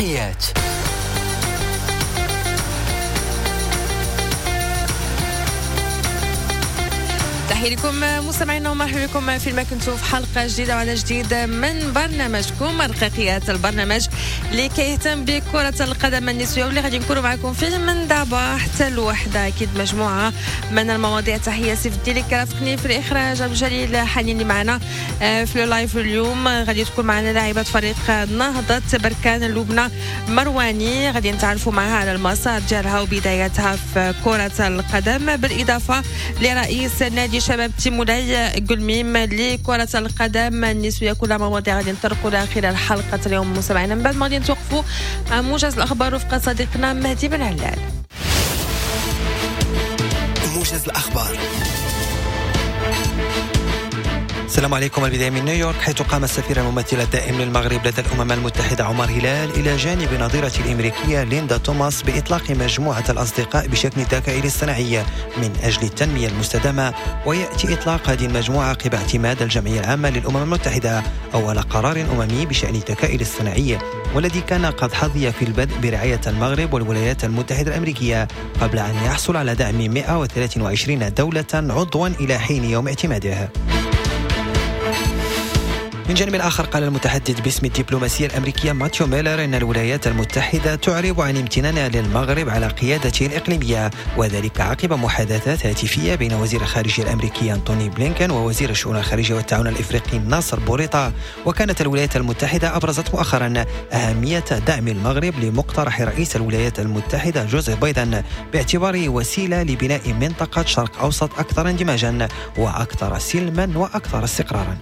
رقيقيات. تحية لكم مستمعينا ومرحبا بكم في ما كنتوا في حلقة جديدة وعلى جديد من برنامجكم رقيقيات، البرنامج اللي كيهتم بكرة القدم النسوية واللي غادي نكونوا معكم فيه من دابا حتى الوحدة. أكيد مجموعة من المواضيع. تحية سيف الدين اللي كرافقني في الإخراج، عبد الجليل حنين اللي معنا في ال live اليوم. غادي تكون معنا لاعبة فريق نهضة بركان لبنى مرواني، غادي نتعرفوا معها على المسار ديالها وبداياتها في كرة القدم، بالإضافة لرئيس نادي شباب تيمولاي قلميم لكرة القدم النسوية. كلها مواضيع غادي نطرقوا لها خلال حلقة اليوم مستمعينا. من بعد ما غادي نتوقفوا مع موجز الأخبار رفقة صديقنا مهدي بن علال. موجز الأخبار. السلام عليكم. البداية من نيويورك، حيث قام السفير الممثل الدائم للمغرب لدى الأمم المتحدة عمر هلال إلى جانب نظيرة الأمريكية ليندا توماس بإطلاق مجموعة الأصدقاء بشكل الذكاء الاصطناعي من أجل التنمية المستدامة. ويأتي إطلاق هذه المجموعة عقب اعتماد الجمعية العامة للأمم المتحدة أول قرار أممي بشأن الذكاء الاصطناعي، والذي كان قد حظي في البدء برعاية المغرب والولايات المتحدة الأمريكية قبل أن يحصل على دعم 123 دولة عضوا إلى حين يوم اعتماده. من جانب آخر، قال المتحدث باسم الدبلوماسية الأمريكية ماتيو ميلر إن الولايات المتحدة تعرب عن امتنانها للمغرب على قيادته الإقليمية، وذلك عقب محادثات هاتفية بين وزير الخارجية الأمريكي أنتوني بلينكن ووزير الشؤون الخارجية والتعاون الإفريقي ناصر بوريطة. وكانت الولايات المتحدة أبرزت مؤخرا أهمية دعم المغرب لمقترح رئيس الولايات المتحدة جوزيف بايدن باعتباره وسيلة لبناء منطقة شرق أوسط أكثر اندماجا وأكثر سلما وأكثر استقرارا.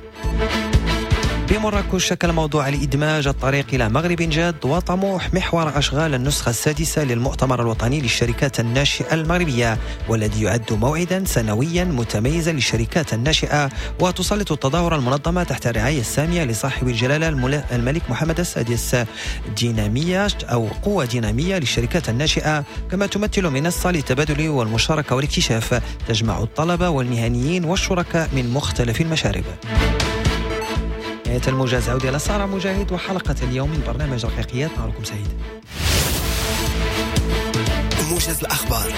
بمراكش شكل موضوع الإدماج الطريق إلى مغرب جاد وطموح محور أشغال النسخة السادسة للمؤتمر الوطني للشركات الناشئة المغربية، والذي يعد موعدا سنويا متميزا للشركات الناشئة. وتسلط التظاهرة المنظمة تحت الرعاية السامية لصاحب الجلالة الملك محمد السادس دينامية أو قوة دينامية للشركات الناشئة، كما تمثل منصة للتبادل والمشاركة والاكتشاف تجمع الطلبة والمهنيين والشركاء من مختلف المشارب. نهاية الموجز، عودة إلى سارة مجاهد وحلقة اليوم من برنامج رقيقيات. نهاركم سعيد. موجز الأخبار.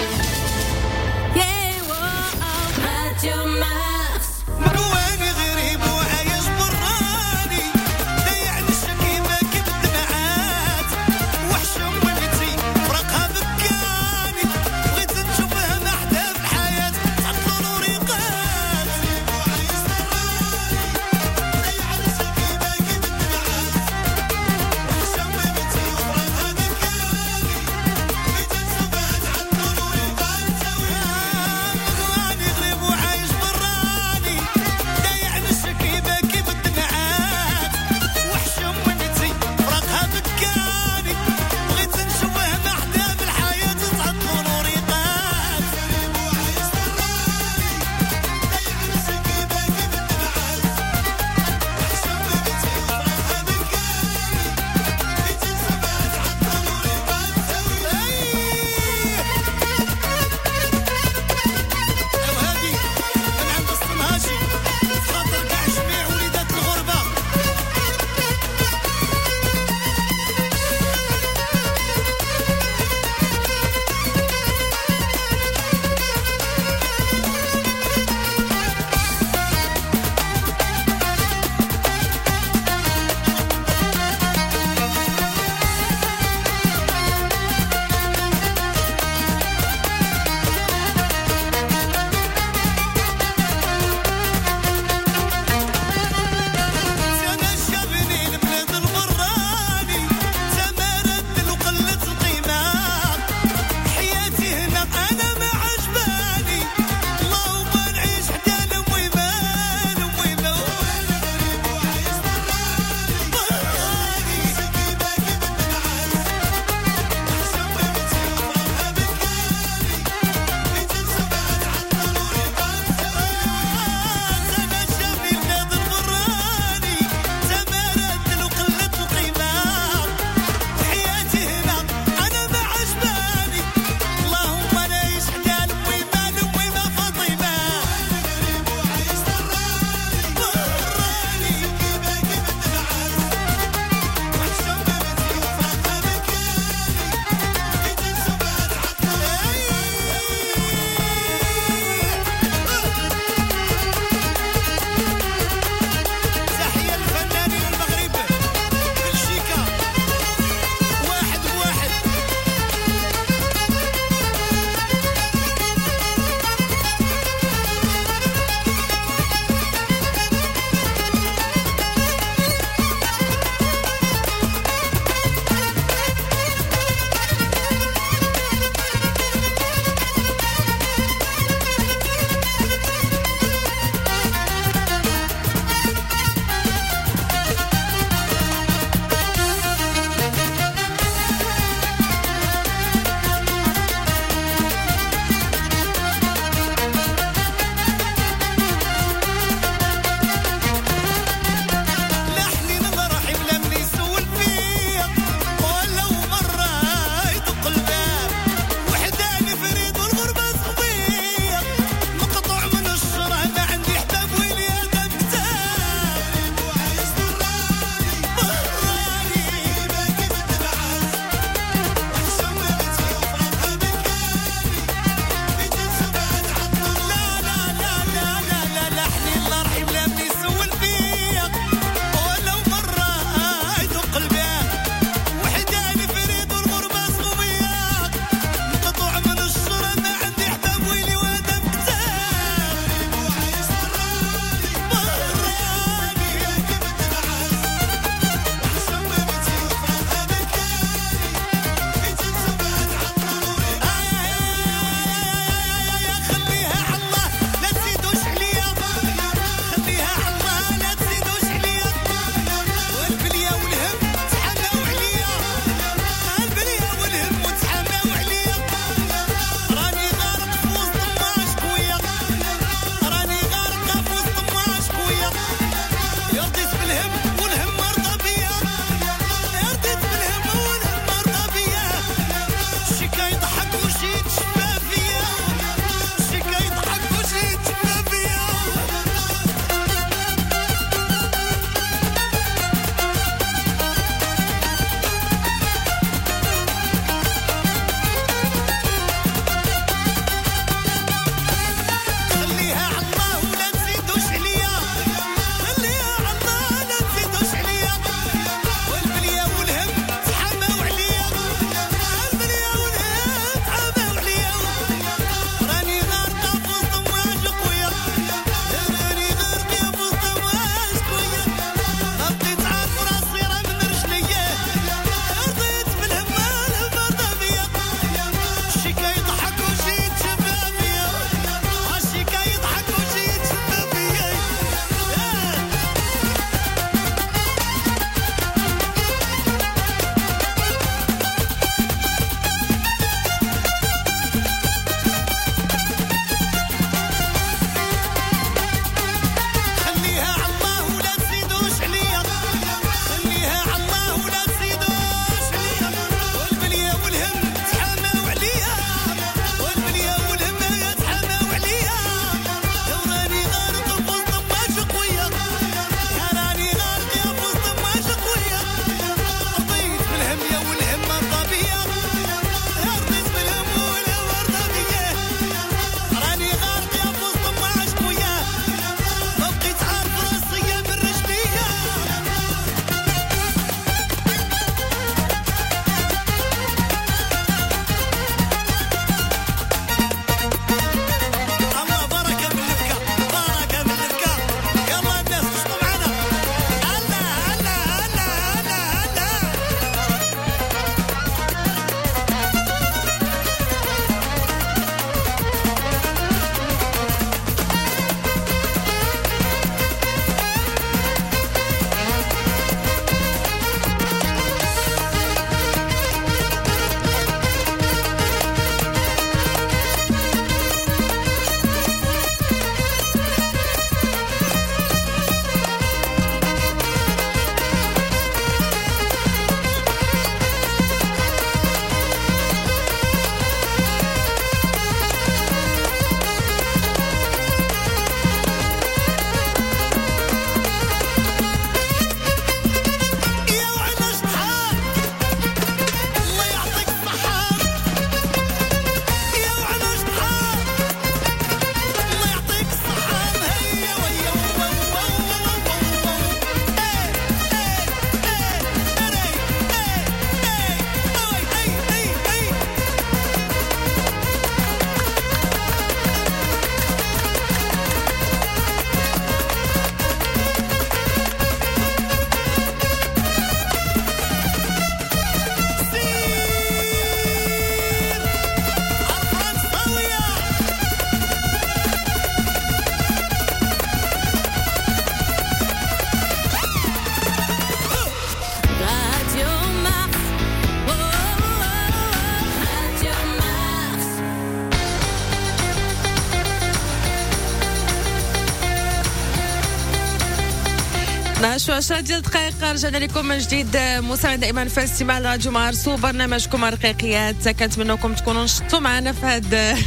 12 و10 ديال الدقائق، رجعنا لكم من جديد مستمعين دائما في الاستماع لراديو مارس وبرنامجكم رقيقيات. كنتمنىكم تكونوا نشطتوا معنا في هذه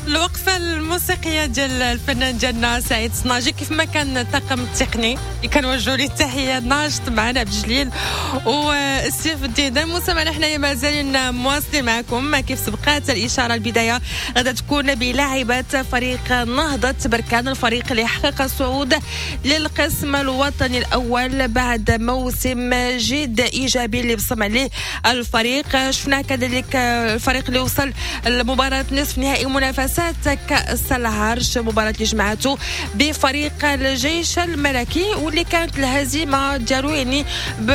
الوقفة الموسيقية ديال الفنان ديالنا سعيد صناجي، كيف ما كان الطاقم التقني اللي كنوجهوا ليه التحية ناشط معنا عبد الجليل والسيف الدين. مستمعينا حنايا مازالين مواصلين معكم، كيف سبقات الاشارة البداية غادا تكون بلاعبات فريق نهضة بركان، الفريق اللي حقق الصعود للقسم الوطني الأول بعد موسم جد إيجابي اللي بصم عليه الفريق. شفنا كذلك الفريق اللي وصل لمباراة نصف نهائي منافسات كأس العرش، مباراة اللي جمعته بفريق الجيش الملكي واللي كانت الهزيمة ديالو يعني ب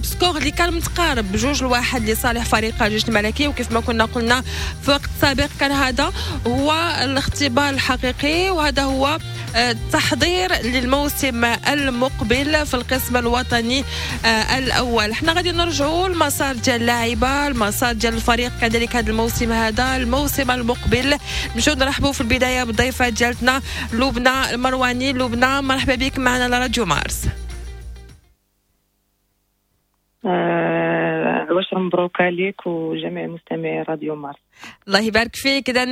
score اللي كان متقارب 2-1 لصالح فريق الجيش الملكي. وكيف ما كنا قلنا في وقت سابق كان هذا هو الاختبار الحقيقي وهذا هو التحضير للموسم المقبل في القسم الوطني الأول. احنا غادي نرجعوا المسار ديال اللاعبة، المسار ديال الفريق كذلك هذا الموسم، هذا الموسم المقبل. نمشيو نرحبوا في البداية بالضيفة ديالتنا لبنى المرواني. لبنى مرحبا بك معنا على راديو مارس. عواشر مبروك عليك وجميع مستمعي راديو مارس. الله يبارك فيك. اذا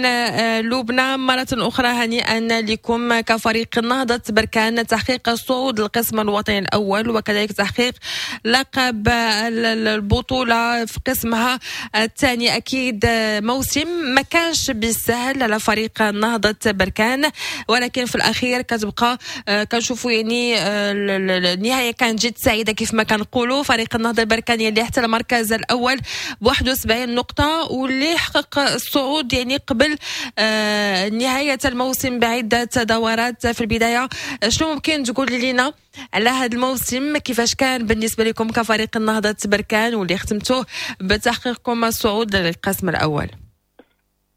لبنى مرة أخرى هنيئا لكم كفريق نهضة بركان تحقيق الصعود للقسم الوطني الأول وكذلك تحقيق لقب البطولة في قسمها الثاني. أكيد موسم ما كانش بالسهل على فريق نهضة بركان، ولكن في الأخير كتبقى كنشوفوا يعني النهاية كانت جد سعيدة كيف ما كنقولوا. فريق النهضة البركانية اللي احتل المركز الأول ب 71 نقطة واللي حقق الصعود يعني قبل نهاية الموسم بعدة دورات. في البداية شنو ممكن تقول لنا على هذا الموسم، كيفاش كان بالنسبة لكم كفريق النهضة بركان واللي ختمتوه بتحقيقكم الصعود للقسم الأول؟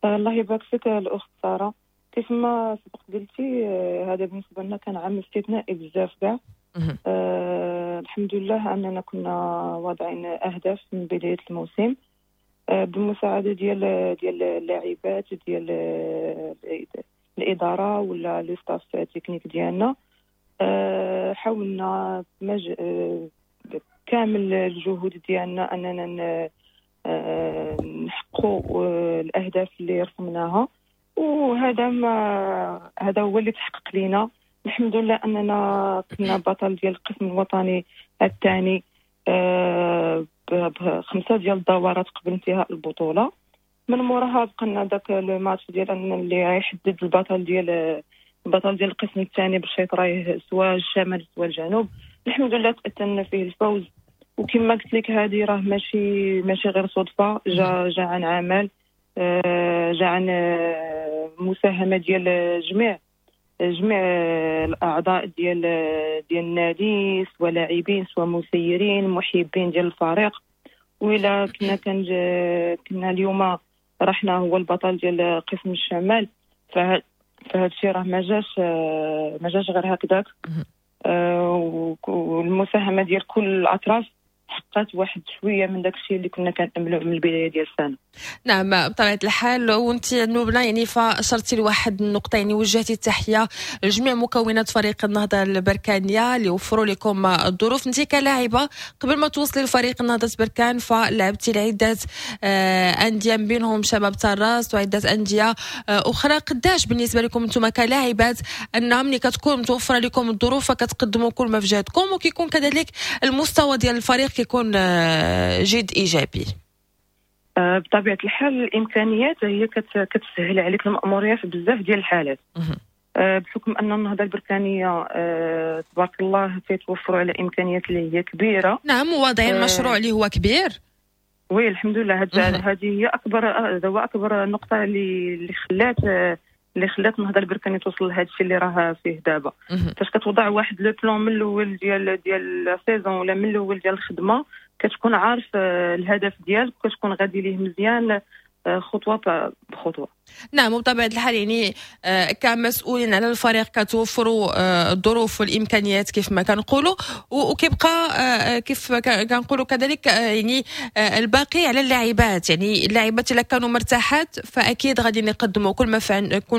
الله يبارك فيك الأخت سارة. كيف ما سبق قلتي هذا بالنسبة لنا كان عام استثنائي بزاف كاع. الحمد لله أننا كنا واضعين أهداف من بداية الموسم بالمساعدة ديال اللاعبات ديال الإدارة ولا le staff technique ديالنا. حاولنا كامل الجهود ديالنا أننا نحققوا الأهداف اللي رسمناها، وهذا ما هذا هو اللي تحقق لينا. الحمد لله أننا كنا بطل ديال القسم الوطني الثاني ب5 ديال الدورات قبل انتهاء البطولة. من موراها بقينا داك الماتش ديال اللي غيحدد البطل ديال القسم الثاني باش يطرايه سواء الشمال سواء الجنوب. الحمد لله تأتنا فيه الفوز، وكما قلت لك هذه راه ماشي غير صدفة، جا عن عمل، جا عن مساهمة ديال جميع الاعضاء ديال النادي، سواء لاعبين سواء مسيرين محبين ديال الفريق. وإلا كنا اليوم رحنا هو البطل ديال قسم الشمال، فهذا الشيء راه ما جاش غير هكذاك. والمساهمة ديال كل الاطراف حققت واحد شوية من داك الشيء اللي كنا كنأملوه من البداية ديال السنة. نعم بطبيعة الحال. وانت نوبنا يعني فاشرتي لواحد النقطة، يعني وجهتي التحية لجميع مكونات فريق النهضة البركانيه اللي وفروا لكم الظروف. انت كلاعبه قبل ما توصلي لفريق النهضة بركان فلعبتي لعدة اندية بينهم شباب تراس وعده اندية اخرى. قداش بالنسبة لكم انتم كلاعبات ان ملي كتكون متوفرة لكم الظروف فكتقدموا كل ما في جهدكم وكيكون كذلك المستوى ديال الفريق كيكون جد ايجابي؟ بطبيعة الحال الامكانيات هي كتسهل عليك الماموريه في بزاف ديال الحالات. بحكم ان النهضة البركانيه تبارك الله تيتوفروا على امكانيات اللي هي كبيرة. نعم وواضعين المشروع اللي هو كبير. oui الحمد لله هذه هي اكبر نقطة اللي خلات النهضة البركانيه توصل لهذا الشيء اللي راه فيه دابا. فاش كتوضع واحد le plan من الاول ديال ال saison ولا من الاول ديال الخدمة كتكون عارف الهدف ديالك وكتكون غادي ليه مزيان خطوة بخطوة. نعم، وبطبيعة الحال يعني كمسؤولين على الفريق كتوفروا الظروف والامكانيات كيف ما كنقولوا، وكيبقى كيف كنقولوا كذلك يعني الباقي على اللاعبات. يعني اللاعبات الا كانوا مرتاحات فاكيد غادي يقدموا كل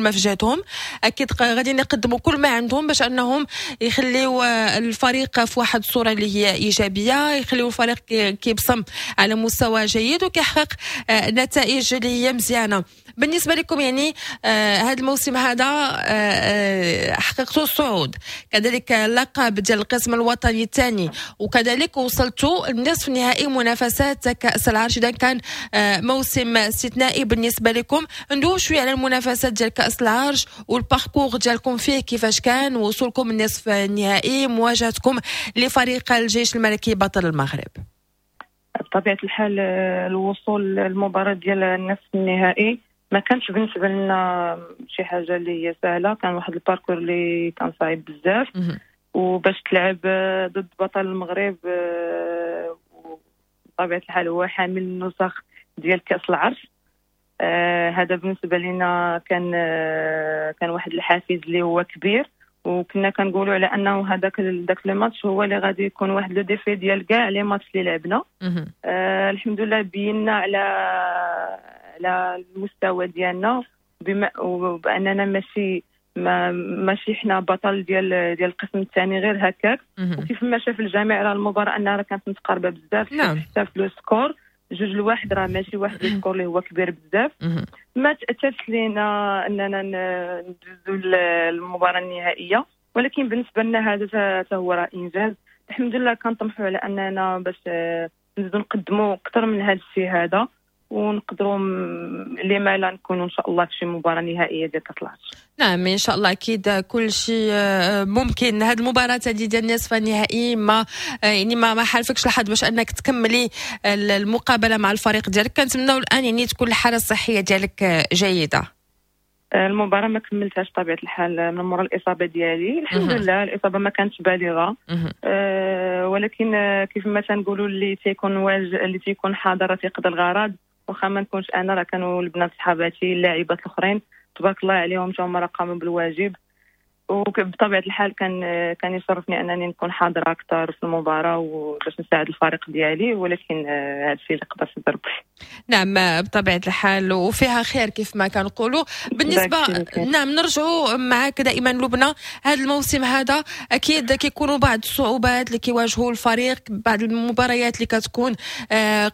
ما في جهدهم، اكيد غادي يقدموا كل ما عندهم باش انهم يخليوا الفريق في واحد الصورة اللي هي ايجابية، يخليوا الفريق كيبصم على مستوى جيد وكيحقق نتائج اللي هي مزيانه. بالنسبة لكم يعني هذا الموسم هذا حققتوا الصعود، كذلك اللقب ديال القسم الوطني الثاني، وكذلك وصلتوا لنصف نهائي منافسات كاس العرش. اذا كان موسم استثنائي بالنسبة لكم. ندوي شوية على المنافسات ديال كاس العرش وال parcours ديالكم فيه كيفاش كان، وصولكم للنصف النهائي، مواجهتكم لفريق الجيش الملكي بطل المغرب. بطبيعة الحال الوصول للمباراة ديال النصف النهائي ما كانش بالنسبة لنا شي حاجة اللي هي سهله، كان واحد ال parcours اللي كان صعيب بزاف، وباش تلعب ضد بطل المغرب بطبيعة الحال هو حامل النسخ ديال كاس العرش، هذا بالنسبة لنا كان واحد الحافز اللي هو كبير، وكنا كنقولوا على انه هذاك داك le match هو اللي غادي يكون واحد le défi ديال كاع les matchs اللي لعبنا. الحمد لله بينا على المستوى ديالنا، بما وباننا ماشي حنا بطل ديال القسم الثاني غير هكاك. وكيف ما شاف الجميع على المباراة انها راه كانت متقاربة بزاف. حتى في le score 2-1 راه ماشي واحد ال score اللي هو كبير بزاف. ما تأتتش لينا اننا ندوزو المباراة النهائيه، ولكن بالنسبة لنا هذا حتى هو راه انجاز الحمد لله. كنطمحوا على اننا باش نزيدو نقدموا اكثر من هذا الشيء هذا، ونقدروا لما لا نكونوا ان شاء الله في شي مباراة نهائية ديال كاس العرش. نعم ان شاء الله، اكيد كل شيء ممكن. هذه المباراة هذه ديال النصف النهائي ما يعني ما حالفكش الحظ باش انك تكملي المقابلة مع الفريق ديالك. كنتمناو الان يعني تكون الحالة الصحية ديالك جيده. المباراة ما كملتهاش بطبيعة الحال من مورا الاصابة ديالي. الحمد لله الاصابة ما كانتش بالغه، ولكن كيف ما تنقولوا اللي تيكون اللي تيكون حاضر تيقضي الغرض. واخا ما نكونش انا راه كانوا البنات صحاباتي اللاعبات الاخرين تبارك الله عليهم تا هما راه قاموا بالواجب، وبطبيعة الحال كان يشرفني انني نكون حاضره اكثر في المباراة وباش نساعد الفريق ديالي، ولكن هذا الشيء اللي قدرت ندير. نعم بطبيعة الحال، وفيها خير كيف ما كنقولوا. بالنسبة نعم نرجعوا معك دائما لبنى، هذا الموسم هذا اكيد كيكونوا بعض الصعوبات اللي كيواجهوا الفريق، بعض المباريات اللي كتكون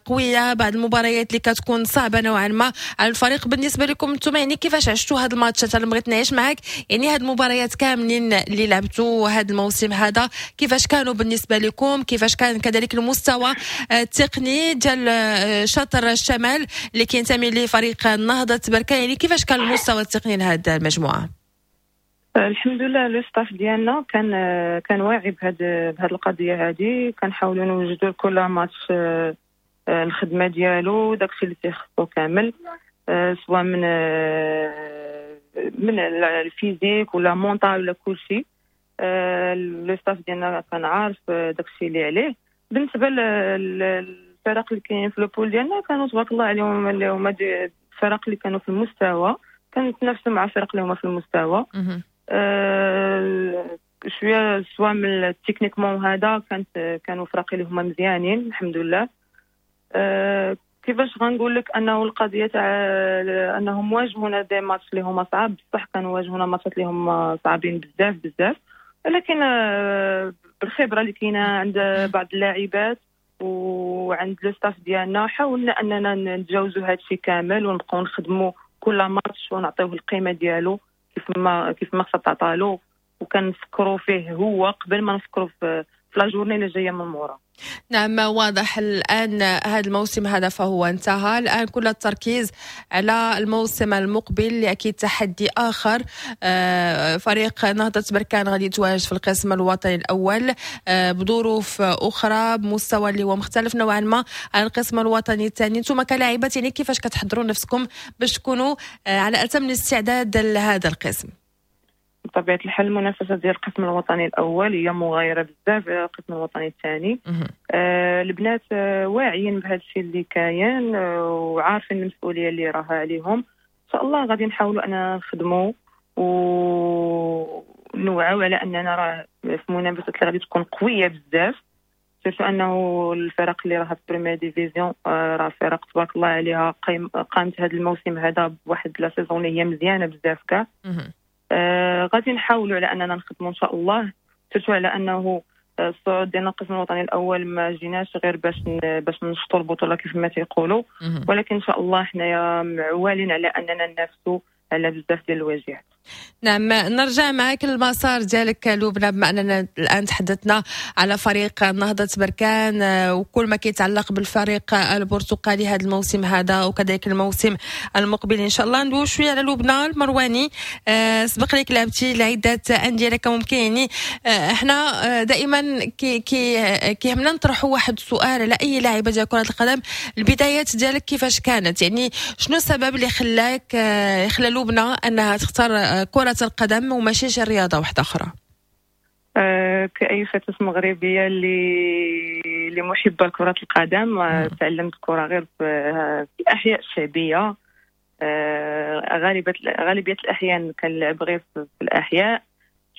قويه، بعض المباريات اللي كتكون صعبة نوعا ما على الفريق. بالنسبة لكم انتم يعني كيفاش عشتوا هذا الماتشات؟ انا بغيت نعيش معك يعني هذه المباريات كاملين اللي لعبتوا هذا الموسم هذا كيفاش كانوا بالنسبة لكم؟ كيفاش كان كذلك المستوى التقني ديال شطر الشمال اللي كينتمي لفريق النهضة بركان؟ يعني كيفاش كان المستوى التقني لهذه المجموعة؟ الحمد لله le staff ديالنا كان واعي بهذه القضية هذه، كنحاولوا نوجدوا لكل ماتش الخدمة ديالو، داكشي اللي تيخصو كامل، سواء من ال physique ولا mental ولا كلشي. le staff ديالنا كان عارف داكشي اللي عليه. بالنسبة للفرق اللي كاينين في le pool ديالنا كانوا تبارك الله عليهم اللي هما الفرق اللي كانوا في المستوى، كنتنافسوا مع فرق اللي هما في المستوى شويه، سواء من techniquement هذا كانوا فرق اللي هما مزيانين الحمد لله. كيفاش غنقول لك انه القضية تاع انهم واجهونا des matchs اللي هما صعاب، بصح كانوا واجهونا ماتشات اللي هما صعابين بزاف بزاف، ولكن بالخبرة اللي كاينه عند بعض اللاعبات وعند le staff ديالنا حاولنا اننا نتجاوزوا هذا الشيء كامل ونبقاو نخدموا كل ماتش ونعطيوه القيمة ديالو كيف ما خصها تعطالو، وكنفكروا فيه هو قبل ما نفكروا في la journée اللي جاية من مورا. نعم واضح الآن هذا الموسم هذا فهو انتهى، الآن كل التركيز على الموسم المقبل اللي أكيد تحدي آخر. فريق نهضة بركان غادي يتواجد في القسم الوطني الأول بظروف أخرى، بمستوى اللي هو مختلف نوعا ما عن القسم الوطني الثاني. انتم كلاعبات يعني كيفاش كتحضروا نفسكم باش تكونوا على أتم الاستعداد لهذا القسم؟ بطبيعة الحال المنافسة ديال القسم الوطني الاول هي مغايرة بزاف على القسم الوطني الثاني. البنات واعيين بهذا الشيء اللي كاين وعارفين المسؤولية اللي راها عليهم. شاء الله غادي نحاولوا اننا نخدموا ونوعوا على اننا راه في منافسات اللي غادي تكون قوية بزاف، surtout انه الفرق اللي راها في première division راه فرق تبارك الله عليها، قامت هذا الموسم هذا بواحد la saison اللي هي مزيانه بزاف كاع. غادي نحاولوا على اننا نخدموا ان شاء الله، surtout على انه الصعود ديالنا القسم الوطني الاول ما جيناش غير باش نشطوا البطولة كيف ما تيقولوا، ولكن ان شاء الله حنايا معوالين على اننا ننافسوا على بزاف ديال الواجهات. نعم، نرجع معك المسار ديالك لبنى، بما اننا الان تحدثنا على فريق نهضة بركان وكل ما كيتعلق بالفريق البرتقالي هذا الموسم هذا وكذلك الموسم المقبل ان شاء الله. ندوي شوية على لبنى المرواني. سبق لك لعبتي لعدة اندية، لك ممكن يعني احنا دائما كي كي كيهمنا نطرحوا واحد السؤال على اي لاعبه ديال كره القدم، البدايات ديالك كيفاش كانت؟ يعني شنو السبب اللي خلاك خلى لبنى انها تختار كرة القدم وماشي شي رياضة واحدة أخرى؟ كأي فتاة مغربية اللي محبة لكرة القدم، تعلمت الكرة غير في الأحياء الشعبية. غالبية الأحيان كنلعب غير في الأحياء،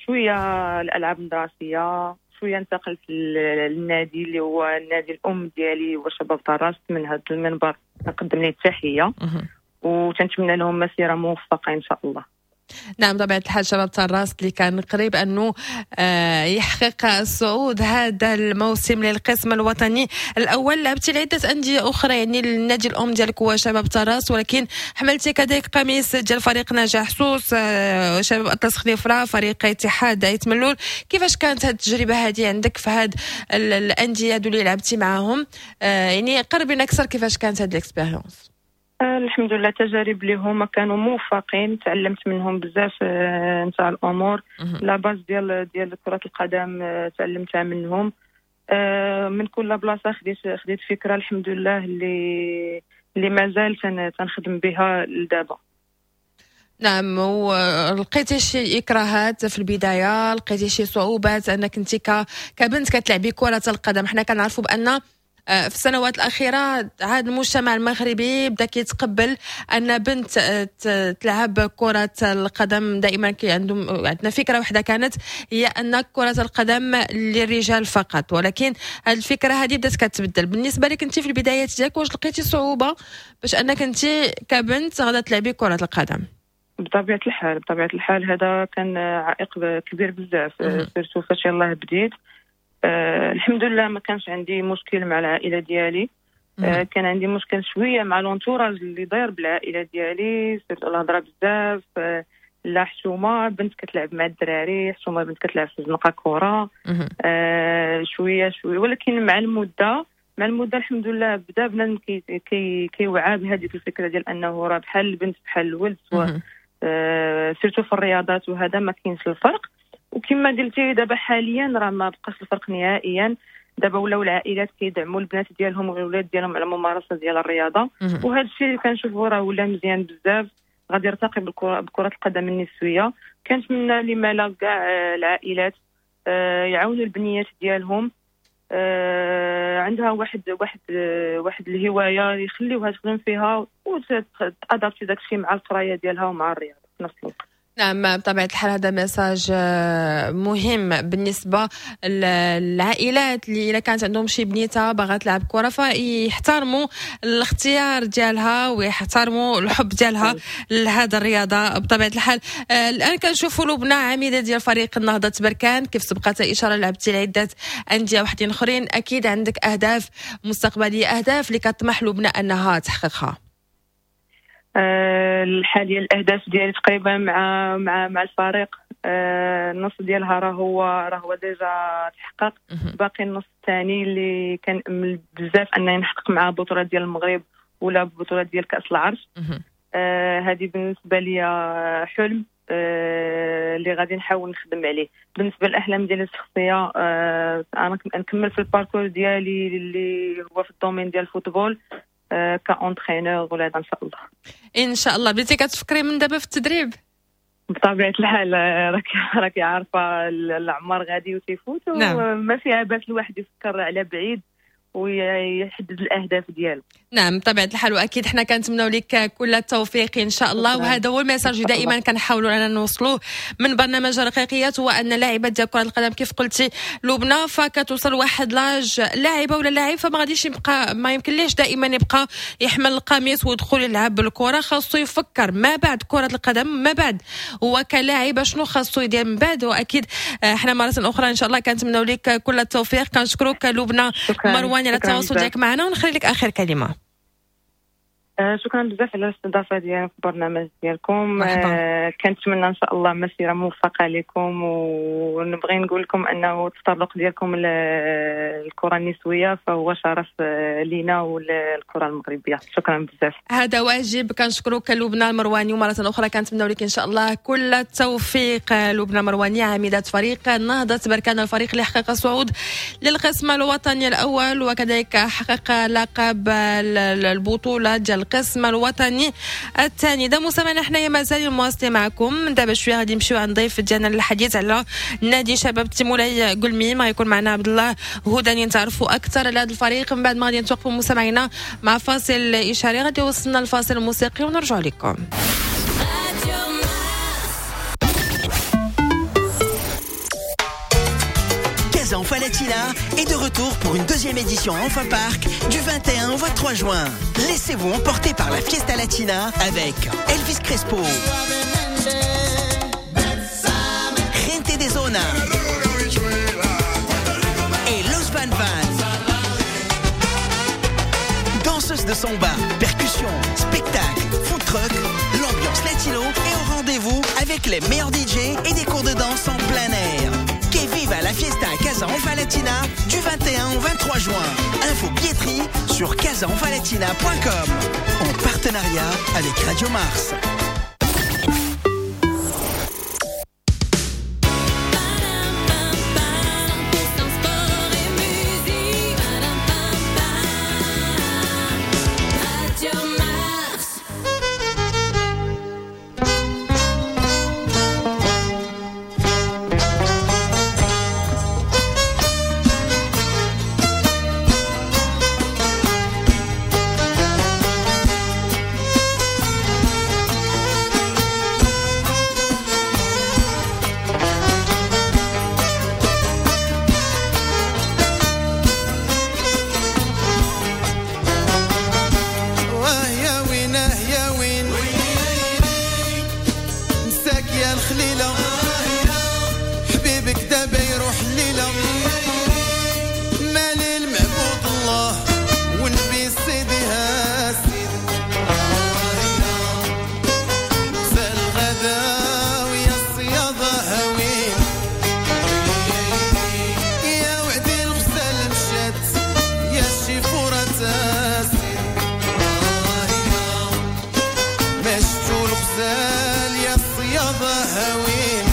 شوية الألعاب المدرسية، شوية انتقلت للنادي اللي هو النادي الأم ديالي هو شباب طراست. من هذا المنبر نقدم ليه التحية وتنتمنى لهم مسيرة موفقة إن شاء الله. نعم، بطبيعة الحال شباب طراس اللي كان قريب أنه يحقق الصعود هذا الموسم للقسم الوطني الأول. لعبتي لعدة أندية أخرى، يعني النادي الأم ديالك هو شباب طراس، ولكن حملتي كذلك قميص ديال فريق نجاح سوس، شباب أطلس خنيفرة، فريق اتحاد آيت ملول. كيفاش كانت هذه التجربة هذه عندك في هاد الأندية اللي لعبتي معاهم؟ يعني قربينا أكثر كيفاش كانت هذه ال expérience؟ الحمد لله تجارب اللي هما كانوا موفقين، تعلمت منهم بزاف نتاع الامور. la base ديال كره القدم تعلمتها منهم. من كل بلاصة خديت فكرة الحمد لله اللي مازال تنخدم بها لدابا. نعم، ولقيتي شي اكراهات في البداية؟ لقيتي شي صعوبات انك انت كبنت كتلعبي كره القدم؟ حنا كنعرفوا بان في السنوات الأخيرة عاد المجتمع المغربي بدا كيتقبل أن بنت تلعب كرة القدم. دائما كي عندهم عندنا فكرة واحدة كانت هي أن كرة القدم للرجال فقط، ولكن هذه الفكرة هذه بدات كتبدل. بالنسبة لك أنت في البدايات ديالك واش لقيتي صعوبة باش أنك أنت كبنت غادا تلعبي كرة القدم؟ بطبيعة الحال هذا كان عائق كبير بزاف، surtout فاش يلاه بديت. الحمد لله ما كانش عندي مشكل مع العائلة ديالي. كان عندي مشكل شوية مع l'entourage اللي داير بالعائلة ديالي، surtout الهضرة بزاف، لا حشومه بنت كتلعب مع الدراري، حشومه بنت كتلعب في الزنقة كره. شوية شوية، ولكن مع المدة الحمد لله بدا بنادم كيوعى بهذيك الفكرة ديال انه راه بحال البنت بحال الولد، surtout في الرياضات وهذا ما كاينش الفرق. وكما قلتي دابا حاليا راه ما بقاش الفرق نهائيا، دابا ولاو العائلات كيدعموا البنات ديالهم والولاد ديالهم على الممارسة ديال الرياضة، وهذا الشيء اللي كنشوفوا راه ولا مزيان بزاف، غادي يرتقي بكره القدم النسوية. كنتمنى لما لا كاع العائلات يعاونوا البنيات ديالهم، عندها واحد واحد واحد الهواية يخليوها تخدم فيها وت adapter داكشي مع القراية ديالها ومع الرياضة في نفس الوقت. نعم، بطبيعة الحال هذا message مهم بالنسبة للعائلات اللي إذا كانت عندهم شي بنيتة باغا تلعب كرة فيحترموا الاختيار ديالها ويحترموا الحب ديالها لهذا الرياضة بطبيعة الحال. الآن كنشوفوا لبنى عميدة ديال فريق النهضة بركان، كيف سبقت إشارة لعبتي لعدة أندية وحدين آخرين، أكيد عندك أهداف مستقبلية، أهداف اللي كتطمح لبنى أنها تحققها. حاليا الاهداف ديالي تقريبا مع مع مع الفريق، النص ديالها راه هو déjà تحقق، باقي النص الثاني اللي كنأمل بزاف انني نحقق مع بطوله ديال المغرب ولا بطوله ديال كاس العرش. هذه بالنسبة لي حلم اللي غادي نحاول نخدم عليه. بالنسبة للاحلام ديالي الشخصية، انا نكمل في ال parcours ديالي اللي هو في ال domaine ديال ال football ك entraîneur ولا ان شاء الله. ان شاء الله. بديتي كتفكري من دابا في التدريب؟ بطبيعة الحال راكي عارفه العمر غادي وتيفوت. نعم. وما فيها باس الواحد يفكر على بعيد ويحدد الاهداف ديالو. نعم بطبيعة الحال، واكيد حنا كنتمناو لك كل التوفيق ان شاء الله. وهذا هو ال message دائما كنحاولوا اننا نوصلوه من برنامج رقيقيات، هو ان لاعبات ديال كره القدم كيف قلتي لبنى فكتوصل واحد l'âge لاعبه ولا لاعب فما غاديش يبقى، ما يمكنليش دائما يبقى يحمل القميص ويدخل يلعب بالكرة، خاصو يفكر ما بعد كره القدم، ما بعد هو كلاعب شنو خاصو يدير من بعد. واكيد حنا مرة اخرى ان شاء الله كنتمناو لك كل التوفيق. كنشكرك لبنى مروان على التواصل ديالك معنا، ونخلي لك اخر كلمة. شكرا بزاف على الاستضافة ديالنا في البرنامج ديالكم. كنتمنى ان شاء الله مسيره موفقة لكم، ونبغي نقول لكم انه التطرق ديالكم للكرة النسوية فهو شرف لينا وللكره المغربية. شكرا بزاف، هذا واجب. كنشكرك لبنى المرواني، ومرة اخرى كنتمنى لك ان شاء الله كل التوفيق. لبنى المرواني عميده فريق نهضة بركان، الفريق اللي حقق الصعود للقسم الوطني الاول وكذلك حقق لقب البطولة ديال القسم الوطني الثاني. دا مستمعينا حنايا مازال مواصلين معكم. دابا شوية غادي نمشيو عند ضيف ديالنا للحديث على نادي شباب تيمولاي قلميم، غيكون معنا عبد الله هداني نتعرفوا اكثر على هذا الفريق. من بعد ما غادي نتوقفوا مستمعينا مع فاصل اشاري، غادي يوصلنا الفاصل الموسيقي ونرجع لكم. Casa Latina est de retour pour une deuxième édition à Anfa Park du 21 au 23 juin. Laissez-vous emporter par la Fiesta Latina avec Elvis Crespo, Gente de Zona et Los Van Van. Danseuses de samba, percussions, spectacles, food truck, l'ambiance latino est au rendez-vous avec les meilleurs DJ et des cours de danse en plein air. Que viva la fiesta Casa Anfa Latina du 21 au 23 juin. Info billetterie sur casaanfalatina.com en partenariat avec Radio Mars. مشتو الغزال يا الصيادة هاوين.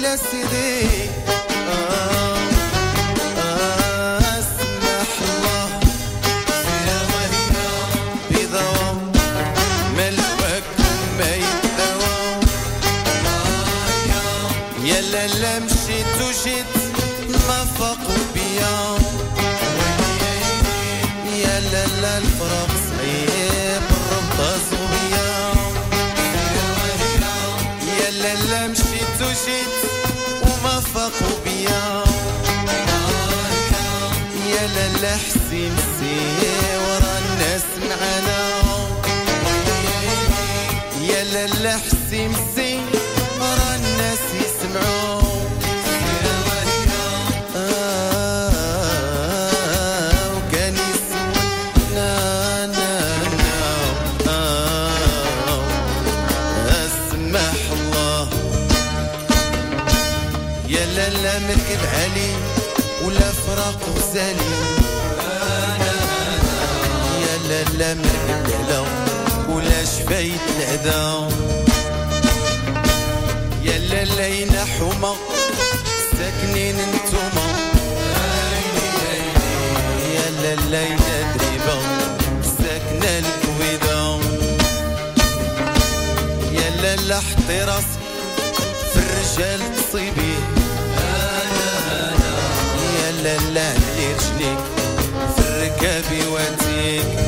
ويلا سيدي اسمح الله بضوى ملوك ما يدوى يا لالا مشيت وجيت ما فاقوا بيا يا لالا الفراق صعيب الربطة صغبية يا لالا مشيت وجيت وما فاقوا بيا يا لالا حسي مسي ورا الناس معانا يا لالا حسي مسي ورا الناس يسمعوا وكان يسول نا نا نا اسمح الله يا لالا مركب علي ولا فراق غزالي يا لالا مركب العلا ولا شفايت العدا يا لالا ينا حومة ساكنين انتوما يا لالا ينا دريبة ساكنة الكويدة يا لالا حطي راسك في الرجال تصيبيه يا لالا علي رجليك في الركابي واتيك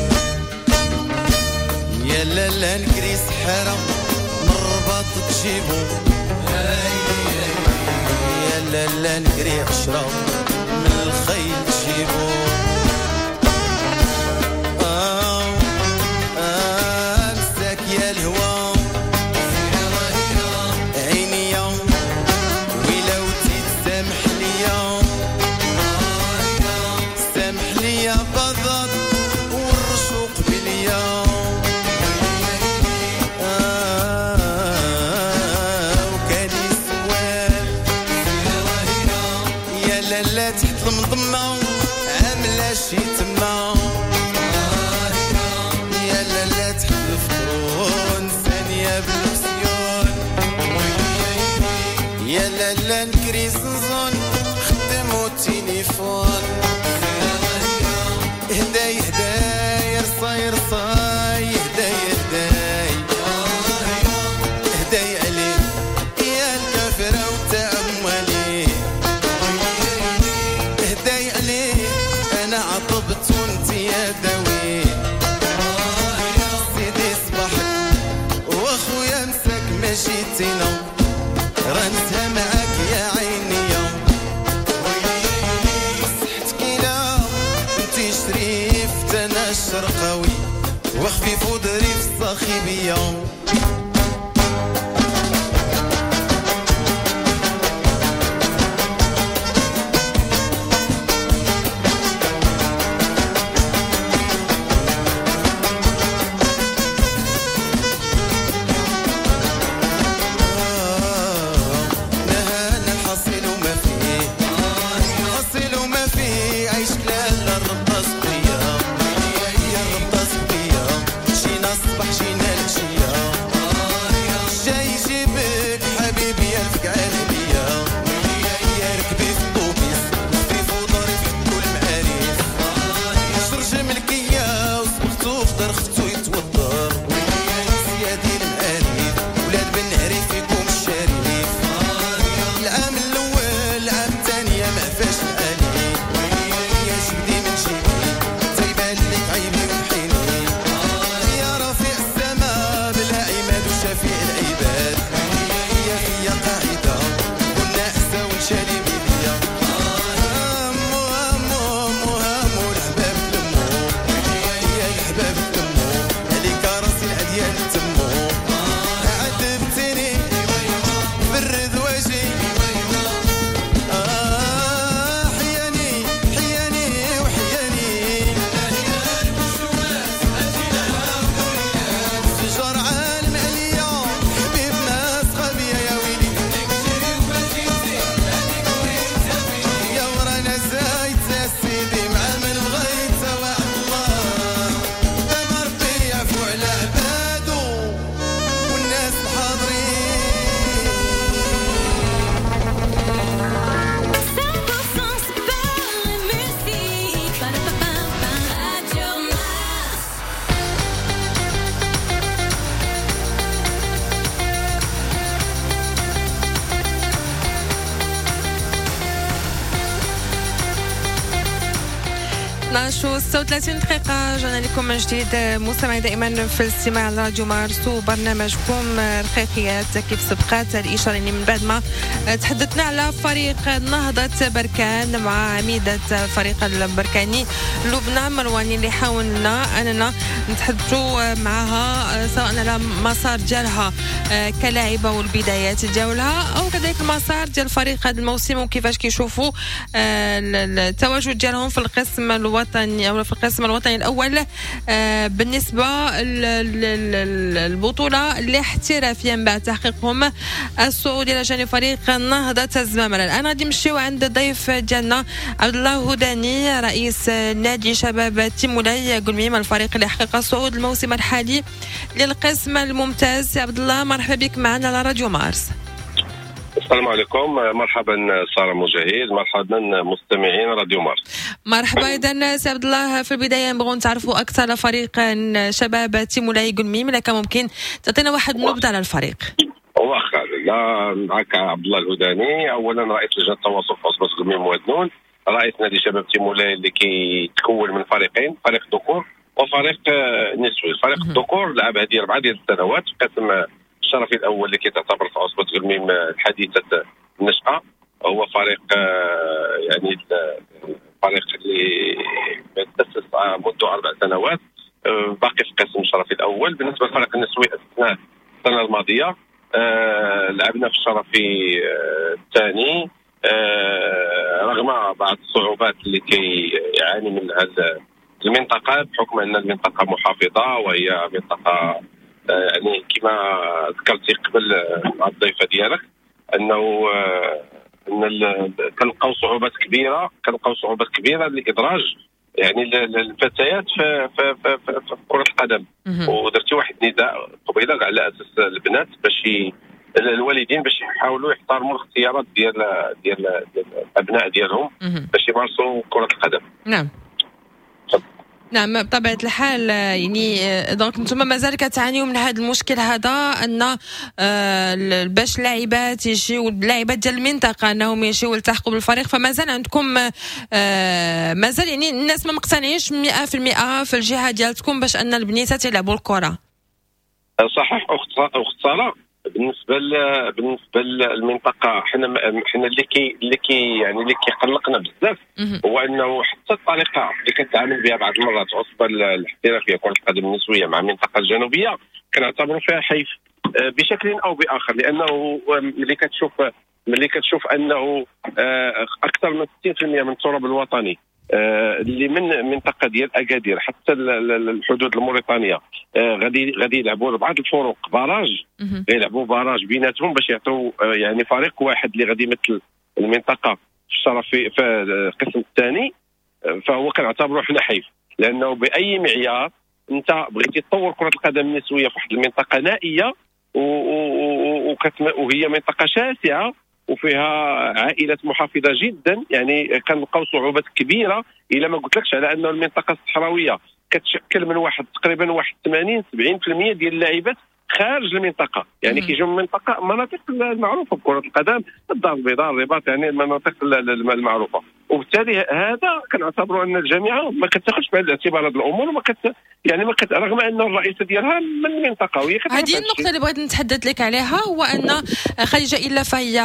يا لالا نكري سحارة من الرباط تجيبو يا لالا نكري 10 من الخيل تجيبو مساك يا الهوى عينيا ويلا وتي تسامح ليا سامح ليا بضل والرشوق بليا وكان يسوال يا لالا تحت المضمة عاملة شي تما يا لالا تحت الفطرون ثانية بالبسيون يا لالا نكري زنزون خدمو التليفون هداي هداي رصاي رصاي هداي هداي هداي عليه يا الكافرة وتأملي هداي عليه أنا عطبت وانت يا داوي سيدي صباحك واخويا مساك ما جيتينا رانتها معاك يا عينيا صحتك لا انت شريف انا الشرقاوي وخفيف وظريف الصاخبيه. نهانا الحصيل وما فيه حصيل وما فيه عيشك لالا الربطة سقية يا الربطة سقية جينا الصباح جينا العشية. 12:36 دقيقة، رجعنا لكم من جديد مستمعي دائما في الاستماع على راديو مارس وبرنامجكم رقيقيات. كيف سبقات الإشارة يعني من بعد ما تحدثنا على فريق نهضة بركان مع عميدة فريق البركاني لبنى مرواني اللي حاولنا أننا نتحدثوا معها سواء على مسار ديالها كلاعبة والبدايات ديالها أو كذلك المسار ديال الفريق هذا الموسم وكيفاش كيشوفوا التواجد ديالهم في القسم الوطني أو في القسم الوطني الأول بالنسبة للبطولة الاحترافية من بعد تحقيقهم الصعود إلى جانب فريق نهضة الزمامرة. الآن غادي نمشيو عند الضيف ديالنا عبد الله هداني رئيس نادي شباب تيمولاي كلميم، الفريق اللي حقق الصعود الموسم الحالي للقسم الممتاز. عبد الله مرحبا بك معنا على راديو مارس. السلام عليكم، مرحبا سارة مجاهد، مرحبا مستمعين راديو مارس. مرحبا. اذا سي عبد الله، في البداية نبغوا نتعرفوا اكثر على فريق شباب تيمولاي كلميم، لك ممكن تعطينا واحد النبذه على الفريق؟ واخا، لا معك عبد الله الهداني، اولا رئيس لجنة التواصل في عصبه كلميم وادنون، رئيس نادي شباب تيمولاي اللي كيتكون من فريقين، فريق ذكور وفريق نسوي. فريق الذكور لعب هذه 4 ديال السنوات في قسم الشرفي الاول اللي كيتعتبر في عصبه كلميم الحديثة النشأة، هو فريق يعني فريق اللي تأسس منذ 4 سنوات، باقي في قسم الشرفي الاول. بالنسبة للفريق النسوي اثناء السنة الماضية لعبنا في الشرفي الثاني رغم بعض الصعوبات اللي كيعاني منها المنطقة بحكم ان المنطقة محافظة وهي منطقة يعني كما ذكرتي قبل مع الضيفه ديالك انه ان كنلقاو صعوبات كبيرة، كنلقاو صعوبات كبيرة لادراج يعني الفتيات في في في, في, في كره القدم. ودرتي واحد النداء قبيلة على اساس البنات باش الوالدين باش يحاولوا يحترموا الاختيارات ديال ديال الابناء ديالهم باش يمارسوا كره القدم. نعم نعم بطبيعة الحال. يعني donc نتوما مازال كتعانيو من هذا المشكل هذا، ان باش اللاعبات يجيو، اللاعبات ديال المنطقة انهم يجيو يلتحقوا بالفريق، فمازال عندكم مازال يعني الناس ما مقتنعينش 100% في الجهة ديالتكم باش ان البنيتات يلعبوا الكره. صحيح اخت ساره، بالنسبة للمنطقة حنا اللي كي يعني اللي كيقلقنا بزاف هو انه حتى الطريقة اللي كتعامل بها بعض المرات عصبه الاحترافية كره القدم النسوية مع المنطقة الجنوبية كنعتبروا فيها حيف بشكل او باخر، لانه ملي كتشوف انه اكثر من 60% من التراب الوطني اللي من منطقة ديال اكادير حتى الحدود الموريتانيه غادي يلعبوا بعض الفرق barrage، يلعبوا barrage بيناتهم باش يعطوا يعني فريق واحد اللي غادي يمثل المنطقة في الشرفي في القسم الثاني، فهو كنعتبروه حنا حيف، لانه باي معيار انت بغيتي تطور كره القدم النسوية في واحد المنطقة نائية وهي منطقة شاسعه وفيها عائلات محافظة جدا، يعني كنلقاو صعوبات كبيرة. الا ما قلتلكش على انه المنطقة الصحراوية كتشكل من واحد تقريبا واحد 80 70% ديال اللاعبات خارج المنطقة، يعني كيجيو من منطقة مناطق المعروفة بكره القدم، الدار البيضاء، الرباط، يعني المناطق المعروفة، وبالتالي هذا كنعتبروا ان الجامعة ما كتاخذش بعين الاعتبار هذه الامور، وما كت يعني ما كت رغم ان الرئيسة ديالها من المنطقة وهي هذه النقطة اللي بغيت نتحدث لك عليها، هو ان خديجة الا فهي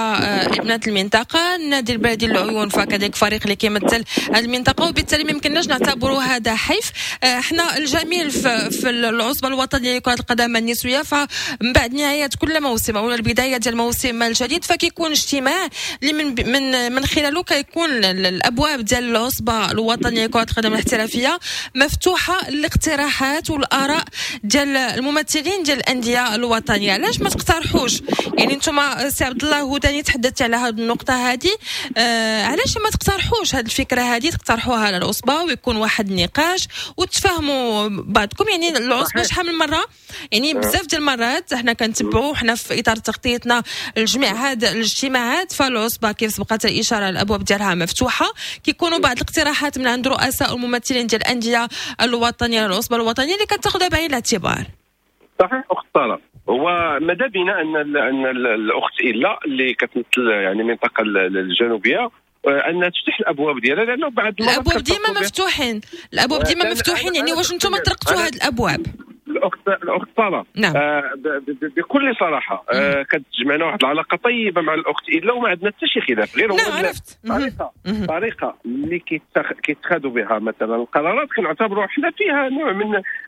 ابنه المنطقة، النادي البلدي للعيون فكذلك فريق اللي كيمثل المنطقة، وبالتالي ما يمكنناش نعتبروا هذا حيف. احنا الجميل في العصبة الوطنية لكرة القدم النسوية، فمن بعد نهاية كل موسم او البداية ديال الموسم الجديد فكيكون اجتماع اللي من من خلاله كيكون الابواب ديال العصبة الوطنية لكرة القدم الاحترافية مفتوحة للاقتراحات والاراء ديال الممثلين ديال الاندية الوطنية. علاش ما تقترحوش؟ يعني انتم سي عبد الله هداني تحدثت على هذه النقطة هذه، علاش ما تقترحوش هذه الفكرة هذه، تقترحوها على العصبة ويكون واحد النقاش وتفاهموا بعضكم. يعني العصبة شحال من مرة، يعني بزاف ديال المرات حنا كنتبعوا حنا في اطار تغطيتنا لجميع هاد الاجتماعات، فالعصبه كيف سبقت الاشارة الابواب ديالها مفتوحة، كيكونوا بعض الاقتراحات من عند رؤساء الممثلين ديال الاندية الوطنية للعصبه الوطنية اللي كتاخذها بعين الاعتبار. صحيح اخت ساره، هو ماذا بينا ان الاخت الا اللي كتمثل يعني المنطقة الجنوبية انها تفتح الابواب ديالها، لانه بعد الابواب ديما مفتوحين، الابواب ديما مفتوحين. يعني واش انتم طرقتوا هذه الابواب؟ الاخت ساره، نعم. بكل صراحة كتجمعنا واحد العلاقة طيبة مع الاخت الا وما عندنا حتى شي خلاف، غير هو نعم عرفت الطريقة اللي كيتخذوا بها مثلا القرارات كنعتبروا حنا فيها نوع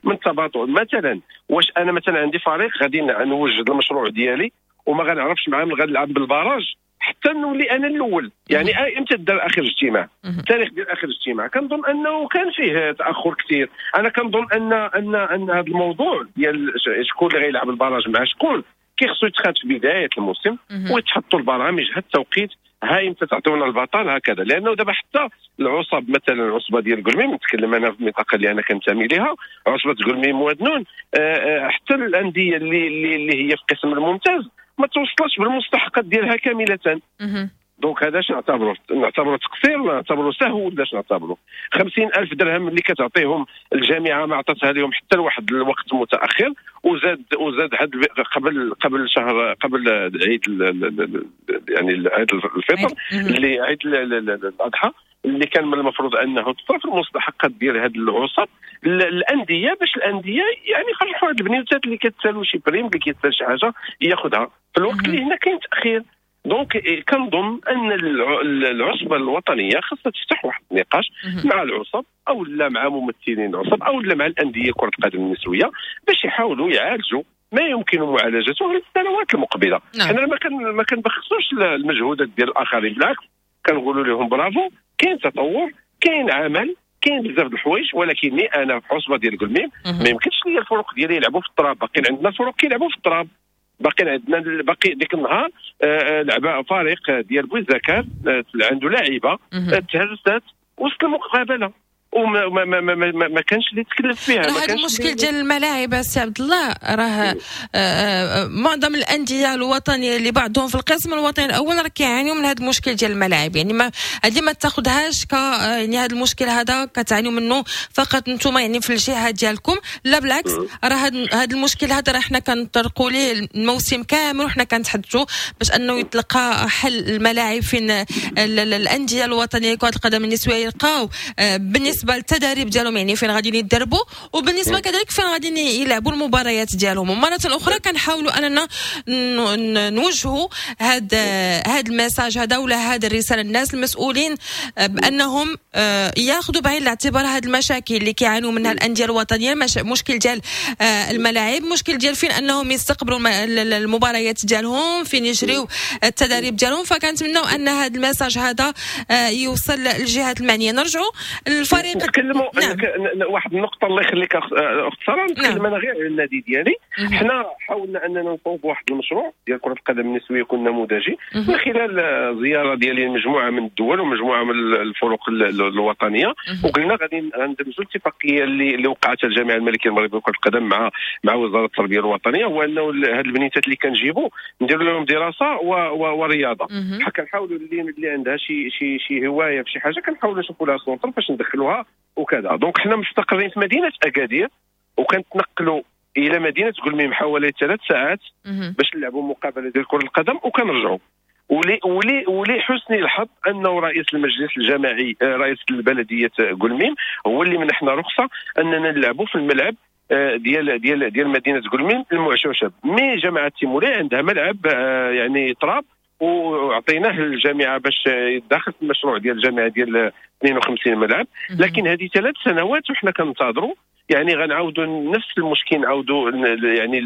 من التباطؤ. مثلا واش انا مثلا عندي فريق غادي نوجد المشروع ديالي وما غنعرفش معاه غنلعب بال barrage حتى نولي انا الاول، يعني امتى دار اخر اجتماع؟ التاريخ ديال اخر اجتماع كنظن انه كان فيه تاخر كثير. انا كنظن ان ان ان هذا الموضوع ديال شكون اللي غيلعب ال barrage مع شكون كيخصو يتخاد في بداية الموسم ويتحطوا البرامج هاد التوقيت، هاي امتى تعطيونا البطل هكذا. لانه دابا حتى العصب مثلا العصبة ديال كلميم، نتكلم انا في المنطقة اللي انا كنتمي لها، عصبه كلميم وادنون، حتى الاندية اللي هي في القسم الممتاز ما توصلش بالمستحقات ديالها كاملة. donc هذا اش نعتبروه؟ نعتبروه تقصير ولا نعتبروه سهو ولا اش نعتبروه؟ 50,000 درهم اللي كتعطيهم الجامعة ما عطاتها لهم حتى لواحد الوقت متاخر، وزاد هاد قبل شهر، قبل عيد يعني عيد الفطر اللي عيد الاضحى اللي كان من المفروض انه تصرف المستحقات ديال هاد العصب الاندية، باش الاندية يعني يفرحوا هاد البنيوتات اللي كتسالوا شي prime اللي كيتسال شي حاجة ياخذها في الوقت اللي هنا كاين تاخير. donc كنظن ان العصبة الوطنية خاصها تفتح واحد النقاش مع العصب او لا مع ممثلين العصب او لا مع الاندية كره القدم النسوية باش يحاولوا يعالجوا ما يمكن معالجته للسنوات المقبلة. نعم. حنا ما كنبخسوش المجهودات ديال الاخرين، بالعكس كنقولوا لهم برافو، كاين تطور، كاين عمل، كاين بزاف د الحوايج، ولكني انا في عصبه ديال كلميم ما يمكنش ليا الفرق ديالي يلعبوا في التراب. باقيين عندنا الفرق كيلعبوا في التراب، باقي عندنا باقي ديك النهار لعب فريق ديال بوزكار عنده لاعيبه تهرست وسط المقابلة وما ما ما ما, ما, ما كانش اللي تكلف فيها. هذا المشكل ديال الملاعب السي عبد الله راه معظم الاندية الوطنية اللي بعضهم في القسم الوطني الاول راه كيعانيوا من هذا المشكل ديال الملاعب. يعني ما هذه ما تاخذهاش ك يعني هذا المشكل هذا كتعانيوا منه فقط انتم يعني في الجهة ديالكم، لا بالعكس راه هذا المشكل هذا راه حنا كنطرقوا ليه الموسم كامل وحنا كنتحدثوا باش انه يتلقى حل الملاعب فين الاندية الوطنية كره القدم النسوية يلقاو بالنسبة التدريب ديالهم، يعني فين غادي يدربوا، وبالنسبة كذلك فين غادي يلعبوا المباريات ديالهم. ومرة اخرى كنحاولوا اننا نوجهوا هذا ال message هذا ولا هذه الرسالة للناس المسؤولين بانهم ياخذوا بعين الاعتبار هذه المشاكل اللي كيعانوا منها الاندية الوطنية، مشكل ديال الملاعب، مشكل ديال فين انهم يستقبلوا المباريات ديالهم، فين يجريوا التدريب ديالهم. فكنتمناو ان هذا ال message هذا يوصل للجهات المعنية. نرجعوا للفريق نتكلموا. نعم. واحد النقطة الله يخليك اخت ساره، نتكلم. نعم. انا غير على النادي ديالي. حنا حاولنا اننا نصوب واحد المشروع ديال كره القدم النسوية يكون نموذجي من خلال زيارة ديالي لمجموعة من الدول ومجموعة من الفرق الوطنية، وقلنا غادي ندمجوا الاتفاقية اللي وقعتها الجامعة الملكية المغربية لكرة القدم مع وزارة التربية الوطنية، هو انه هاد البنيتات اللي كنجيبوا نديروا لهم دراسة ورياضة. كنحاولوا اللي عندها شي شي شي هواية في شي حاجة كنحاولوا نشوفوا لها centre باش ندخلوها وكذا. donc حنا مستقرين في مدينة اكادير وكنتنقلوا الى مدينة كلميم حوالي 3 ساعات باش نلعبوا مقابله ديال كره القدم وكنرجعوا. ولي حسن الحظ انه رئيس المجلس الجماعي رئيس البلدية كلميم هو اللي منحنا رخصه اننا نلعبوا في الملعب ديال ديال ديال مدينة كلميم المعشوشب. mais جماعة تيمولي عندها ملعب يعني تراب وعطيناه للجامعة باش يدخل في المشروع ديال الجامعة ديال 52 ملعب. لكن هذه 3 سنوات وحنا كنتظروا، يعني غنعاودوا نفس المشكل، نعاودوا يعني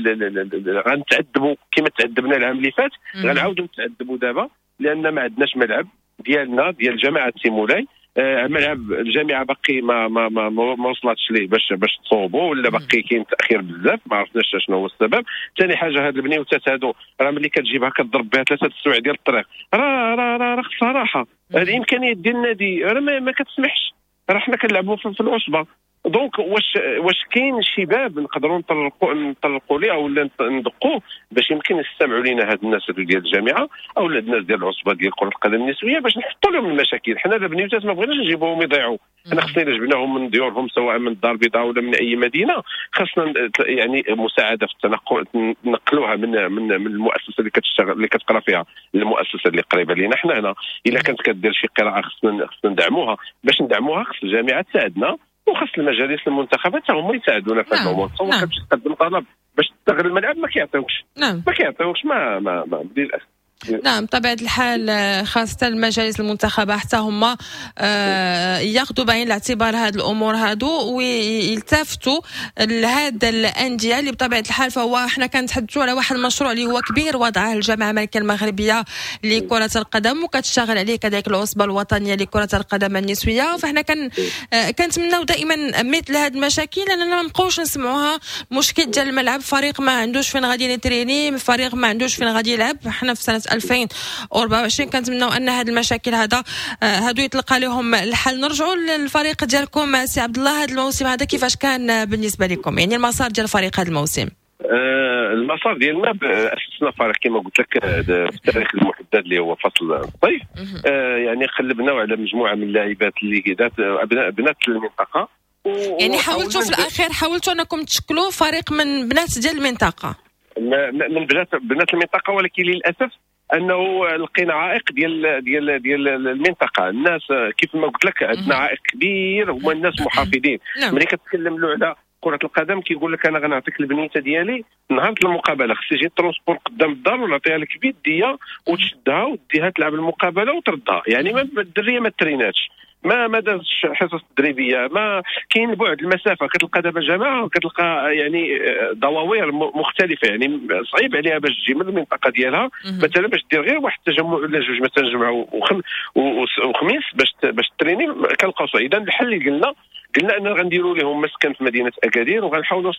غنتعذبوا كما تعذبنا العام اللي فات، غنعاودوا نتعذبوا دابا لان ما عندناش ملعب ديالنا ديال جامعه تيمولاي. ملعب الجامعة باقي ما ما ما, ما وصلتش ليه باش تصوبوا، ولا باقي كاين تاخير بزاف ما عرفناش شنو هو السبب. ثاني حاجة هاد البنيوتات هادو راه ملي كتجيبها كتضرب بها 3 السوايع ديال الطريق، راه راه راه خصها راحة. الامكانيات ديال النادي راه ما كتسمحش، راه حنا كنلعبوا في العصبة. donc واش كاين شي باب نقدروا نطرقوا ليه او ندقوه باش يمكن يستمعوا لينا هاد الناس ديال الجامعة او الناس ديال العصبة ديال كره القدم النسوية باش نحطوا لهم المشاكل. حنا البنيوتات ما بغيناش نجيبوهم يضيعوا، حنا خصنا الا جبناهم من ديورهم سواء من الدار البيضاء ولا من اي مدينة، خصنا يعني مساعدة في التنقل، نقلوها من من من المؤسسة اللي كتشتغل اللي كتقرا فيها للمؤسسه اللي قريبه لينا حنا هنا. الا كانت كدير شي قراءة خصنا ندعموها، باش ندعموها خص الجامعة تساعدنا وخص المجالس المنتخبات حتى هما يساعدونا في هذا الامور. تصور كتمشي تقدم طلب باش تستغل الملعب ما كيعطيوكش. نعم. ما كيعطيوكش ما ما, ما للاسف. نعم بطبيعة الحال، خاصة المجالس المنتخبة حتى هما ياخذوا بعين الاعتبار هذه الأمور هادو ويلتفتوا لهذا الأندية اللي بطبيعة الحال فهو احنا كنتحدثوا على واحد المشروع اللي هو كبير وضعه الجامعة الملكية المغربية لكرة القدم وكتشتغل عليه كذلك العصبة الوطنية لكرة القدم النسوية. فاحنا كنتمناو دائما مثل هذه المشاكل لأننا ما نبقاوش نسمعوها، مشكل ديال الملعب، فريق ما عندوش فين غادي يتريني، فريق ما عندوش فين غادي يلعب. احنا في سنة 2024 كنتمناو ان هذه المشاكل هذا هادو يتلقى لهم الحل. نرجعوا للفريق ديالكم سي عبد الله، هذا الموسم هذا كيفاش كان بالنسبة لكم، يعني المسار ديال الفريق هذا الموسم؟ المسار ديالنا اسسنا فريق كما قلت لك في التاريخ المحدد اللي هو فصل الصيف. يعني قلبنا على مجموعة من اللاعبات اللي ذات بنات المنطقة، يعني حاولتوا في الاخير حاولتوا انكم تشكلوا فريق من بنات ديال المنطقة، من بنات المنطقة، ولكن للاسف انه لقينا عائق ديال ديال ديال المنطقة. الناس كيف ما قلت لك عندنا عائق كبير، هما الناس محافظين. ملي كتكلم له على كره القدم كيقول لك انا غنعطيك البنيته ديالي نهار المقابلة، خص يجي ال transport قدام الدار ونعطيها لك بيديه وتشدها وديها تلعب المقابلة وتردها. يعني ما الدريه ما تريناتش، ما دازش حصص تدريبية، ما كاين بعد المسافة. كتلقى دابا جماعة كتلقى يعني دواوير مختلفة، يعني صعيب عليها باش تجي من المنطقة ديالها مثلا باش دير غير واحد التجمع ولا جوج مثلا جمعه وخميس باش تريني كنلقاو صعيب. اذا الحل اللي قلنا اننا غنديروا لهم مسكن في مدينة اكادير وغنحاولوا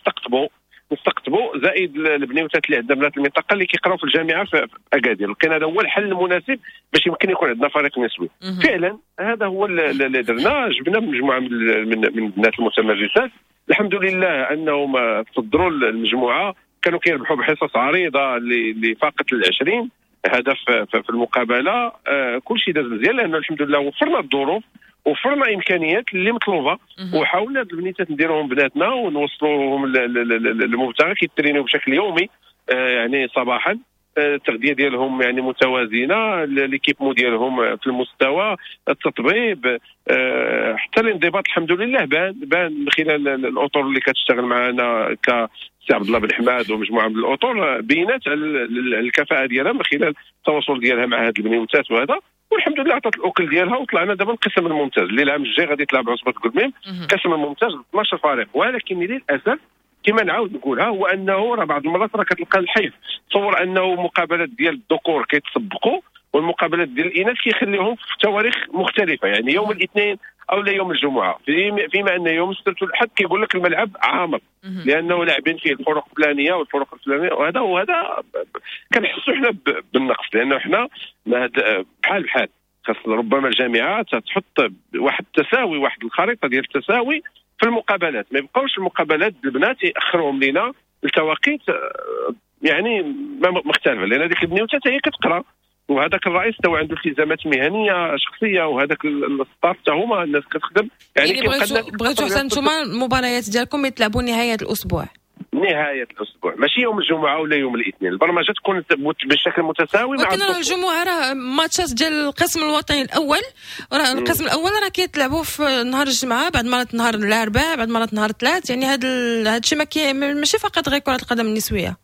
نستقطبوا زائد البنيوتات اللي عندنا بنات المنطقة اللي كيقراو في الجامعة في اكادير. لقينا هذا هو الحل المناسب باش يمكن يكون عندنا فريق نسوي. فعلا هذا هو اللي درنا، جبنا مجموعة من البنات المتمرسات، الحمد لله انهم تصدروا المجموعة، كانوا كيربحوا بحصص عريضة اللي فاقت 20 هدف في المقابلة. كل شيء داز مزيان لانه الحمد لله وفرنا الظروف وفرنا امكانيات اللي مطلوبه، وحاولنا هاد البنيتات نديروهم بناتنا ونوصلوهم للمبتغى. كيترينيو بشكل يومي يعني صباحا، التغذية ديالهم يعني متوازنة، l'équipement ديالهم في المستوى، التطبيب، حتى الانضباط الحمد لله بان من خلال الاطر اللي كتشتغل معنا كسي عبد الله بن حماد ومجموعة من الاطر، بينات على الكفاءة ديالها من خلال التواصل ديالها مع هاد البنيوتات وهذا. والحمد لله عطات الاكل ديالها وطلعنا دابا القسم الممتاز اللي العام الجاي غادي تلعب عصبه كلميم القسم الممتاز 12 فريق. ولكن للاسف كما نعاود نقولها هو انه راه بعض المرات راه كتلقى الحيف، تصور انه مقابلات ديال الذكور كيتسبقوا والمقابلات ديال الاناث كيخليهم في تواريخ مختلفة، يعني يوم الاثنين او لا يوم الجمعة، فيما ان يوم السبت والاحد كيقول لك الملعب عامر لانه لاعبين فيه الفرق الفلانية والفرق الفلانية، وهذا كنحسوا حنا بالنقص، لانه حنا بحال خاص ربما الجامعة تحط واحد التساوي، واحد الخريطة ديال التساوي في المقابلات، ما يبقاوش المقابلات البنات ياخروهم لينا التواقيت يعني مختلفة، لان هذيك البنيوته هي كتقرا وهذاك الرئيس تا عنده التزامات مهنية شخصية، وهذاك ال staff تا هما الناس كتخدم. يعني بغيتو حتى نتوما المباريات ديالكم يتلعبوا نهاية الاسبوع، نهاية الاسبوع ماشي يوم الجمعة ولا يوم الاثنين، البرمجة تكون بشكل متساوي مع ولكن الجمعة راه ماتشات ديال القسم الوطني الاول، راه القسم الاول راه كيتلعبوا في نهار الجمعة، بعد مرات نهار الاربعاء، بعد مرات نهار الثلاث، يعني هذا الشيء ماشي فقط غير كره القدم النسوية.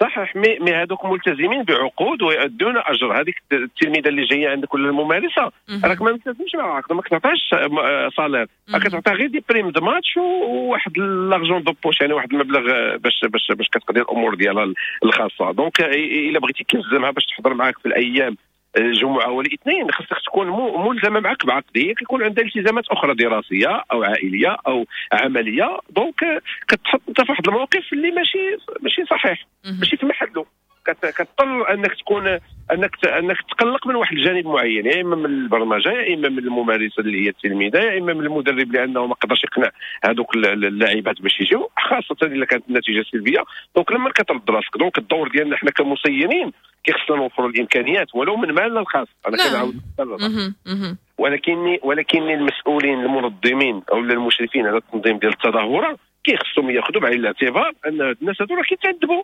صحيح، mais هذوك ملتزمين بعقود ويؤدون اجر. هذيك التلميذة اللي جاية عندك ولا الممارسة راك ما ملتزمش مع عقد، ما كتعطيهاش salaire، كتعطيها غير des primes de match وواحد l'argent de poche، يعني واحد المبلغ باش باش باش كتقضي الامور ديالها الخاصة. donc الا بغيتي تلزمها باش تحضر معاك في الايام الجمعة والاثنين خاصك تكون ملزمة معك بعقد، هي كيكون عندها التزامات اخرى دراسية او عائلية او عملية، donc كتحط انت في واحد الموقف اللي ماشي صحيح، ماشي في محله. كتضطر انك تكون انك تقلق من واحد الجانب معين، يا اما من البرمجة، يا اما من الممارسة اللي هي التلميذة، يا اما من المدرب لانه ما قدرش يقنع هذوك اللاعبات باش يجيو، خاصة الا كانت النتيجة سلبية. donc لما كترد راسك، donc الدور ديالنا حنا كمسيرين كيخصنا نوفروا الامكانيات ولو من مالنا الخاص. انا كنعاود، ولكن المسؤولين المنظمين او المشرفين على التنظيم ديال التظاهرة كيخصهم ياخذوا بعين الاعتبار ان الناس هذو راه كيتعذبوا.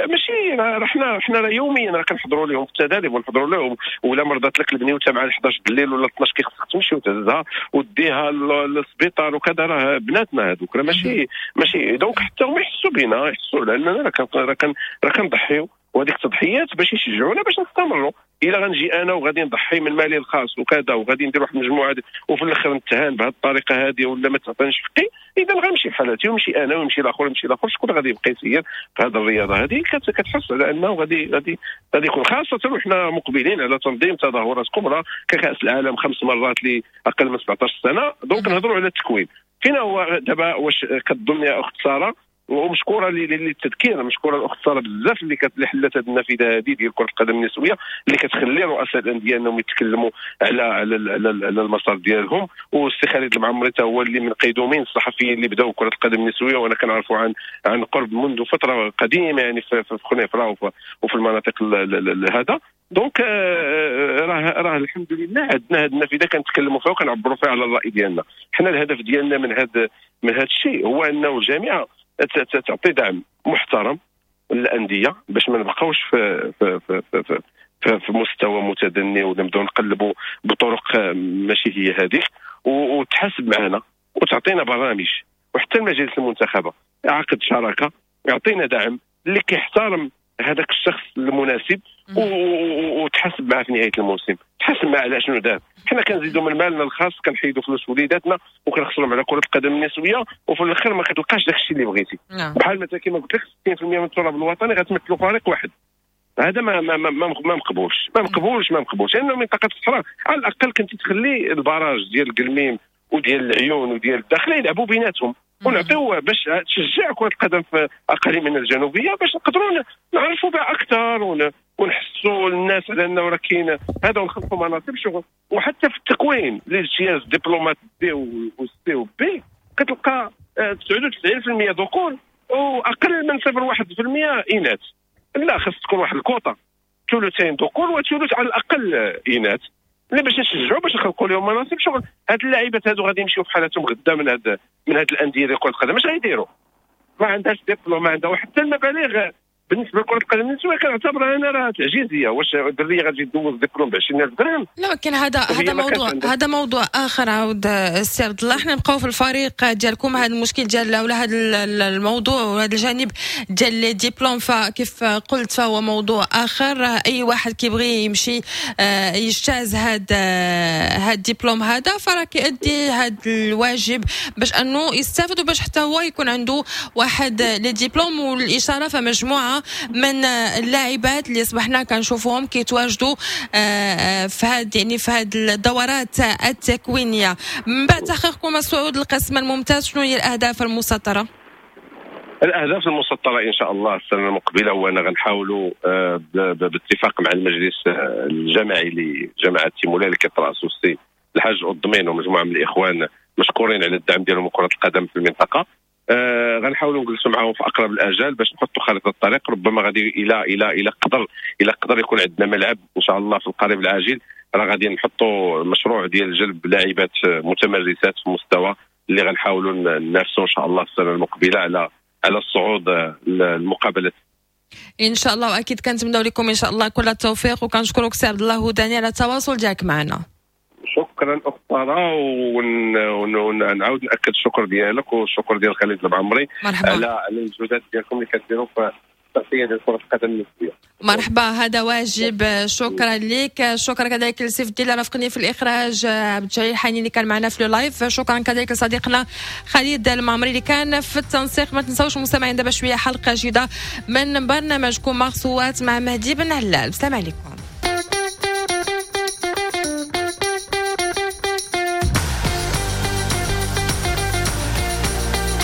ماشي راه حنا يوميا راه كنحضروا لهم في التدريب ونحضروا لهم، ولا مرضات لك البنيوته مع 11 الليل ولا 12 كيخصك تمشي وتهزها وديها للسبيطار وكذا، راه بناتنا هذوك راه ماشي. donc حتى هما يحسوا بنا، يحسوا لاننا راه كنضحيو، وهذيك التضحيات باش يشجعونا باش نستمروا. الا غنجي انا وغادي نضحي من مالي الخاص وكذا وغادي ندير واحد المجموعة وفي الاخر نتهان بهذه الطريقة هذه ولا ما تعطينيش حقي، اذا غنمشي بحالاتي ويمشي انا ويمشي الاخر ويمشي الاخر، شكون غادي يبقى يسير في هذه الرياضة هذه؟ كتحس على انه غادي غادي غادي يكون، خاصة وحنا مقبلين على تنظيم تظاهرات كبرى ككاس العالم 5 مرات لاقل من 17 سنة. donc نهضروا على التكوين. فينا هو دابا واش كتظن يا اخت ساره، ومشكوره للتذكير، مشكورة الاخت ساره بزاف اللي حلت هذه النافذة هذه ديال كره القدم النسوية اللي كتخلي رؤساء الاندية انهم يتكلموا على على على المسار ديالهم. والسي خالد المعمري حتى هو اللي من قيدومين الصحفيين اللي بداوا كره القدم النسوية، وانا كنعرفوا عن قرب منذ فترة قديمة يعني في خنيفره وفي المناطق هذا. donc راه الحمد لله عندنا هذه النافذة كنتكلموا فيها وكنعبروا فيها على الراي ديالنا. حنا الهدف ديالنا من هذا الشيء هو انه الجامعة تعطي دعم محترم للاندية باش ما نبقاوش في في في في, في, في مستوى متدني ولا نبداو نقلبوا بطرق ماشي هي هذيك، وتحاسب معنا وتعطينا برامج، وحتى المجالس المنتخبه عقد شراكة يعطينا دعم اللي كيحترم هذاك الشخص المناسب وتحاسب معاه في نهاية الموسم، تحاسب معاه على شنو دار. حنا كنزيدوا من مالنا الخاص، كنحيدوا فلوس وليداتنا وكنخسروا على كره القدم النسوية، وفي الاخر ما كتلقاش داك الشيء اللي بغيتي. بحال مثلا كما قلت لك 60% من التراب الوطني غتمثلوا فريق واحد. هذا ما ما ما ما مقبولش، ما مقبولش، ما مقبولش. لانه منطقة الصحراء على الاقل كنت تخلي ال barrage ديال القلميم وديال العيون وديال الداخلة يلعبوا بيناتهم، ونعطيو باش تشجع كره القدم في اقاليمنا الجنوبية باش نقدروا نعرفوا بها اكثر ونحسوا الناس على انه راه كاين هذا، ونخلقوا مناصب شغل. وحتى في التكوين لاجتياز دبلومات B و C و B كتلقى 99% ذكور واقل من 0.1% اناث. لا، خاص تكون واحد الكوطه ثلثين ذكور وثلث على الاقل اناث، اللي باش نشجعوا باش نخلقوا لهم مناصب شغل. هاد اللاعبات هادو غادي يمشيو في حالاتهم غدا من هاد الاندية ديال كره القدم، اش غيديروا؟ ما عندهاش دبلوم، ما عندها حتى المبالغ. بالنسبة لكرة القدم النسوية كنعتبرها انا راه تعجيزية. واش الدريه غادي دوز دبلوم ب 20000 درهم؟ لا، ولكن هذا موضوع، هذا موضوع اخر. عاود السي عبد الله، حنا نبقاو في الفريق ديالكم. هذا المشكل ديال ولا هذا الموضوع وهذا الجانب ديال les diplômes، فكيف قلت فهو موضوع اخر. اي واحد كيبغي يمشي يجتاز هاد الدبلوم هذا فراه كيأدي هاد الواجب باش انه يستافد وباش حتى هو يكون عنده واحد les diplômes. والاشارة فمجموعه من اللاعبات اللي اصبحنا كنشوفوهم كيتواجدوا في هاد يعني في هاد الدورات التكوينيه. من بعد تحقيقكم الصعود للقسم الممتاز، شنو هي الاهداف المسطره؟ الاهداف المسطره ان شاء الله السنة المقبلة هو ان غنحاولوا باتفاق مع المجلس الجماعي لجماعة تيمولا اللي كيترأسو السي الحاج الضمين ومجموعة من الاخوان مشكورين على الدعم ديالهم كره القدم في المنطقة. غنحاولوا نجلسوا معاهم في اقرب الاجال باش نحطوا خريطة الطريق. ربما غادي الى الى الى قدر الى قدر يكون عندنا ملعب ان شاء الله في القريب العاجل، راه غادي نحطوا مشروع ديال جلب لاعبات متمرسات في مستوى اللي غنحاولوا ننافسوا ان شاء الله السنة المقبلة على الصعود المقابلات ان شاء الله. واكيد كنتمنوا لكم ان شاء الله كل التوفيق، وكنشكرك سي عبد الله هداني على التواصل ديالك معنا. شكرا اخت ساره، ونعاود ناكد الشكر ديالك والشكر ديال خالد المعمري على المجهودات ديالكم اللي كديروا في التغطية ديال كره القدم النسوية. مرحبا، هذا واجب. شكرا لك. شكرا كذلك لسيف الدين اللي رافقني في الاخراج، عبد الجليل حنين اللي كان معنا في live، شكرا كذلك لصديقنا خالد المعمري اللي كان في التنسيق. ما تنساوش مستمعين دابا شوية حلقة جديدة من برنامجكم مغصوات مع مهدي بن علال. السلام عليكم.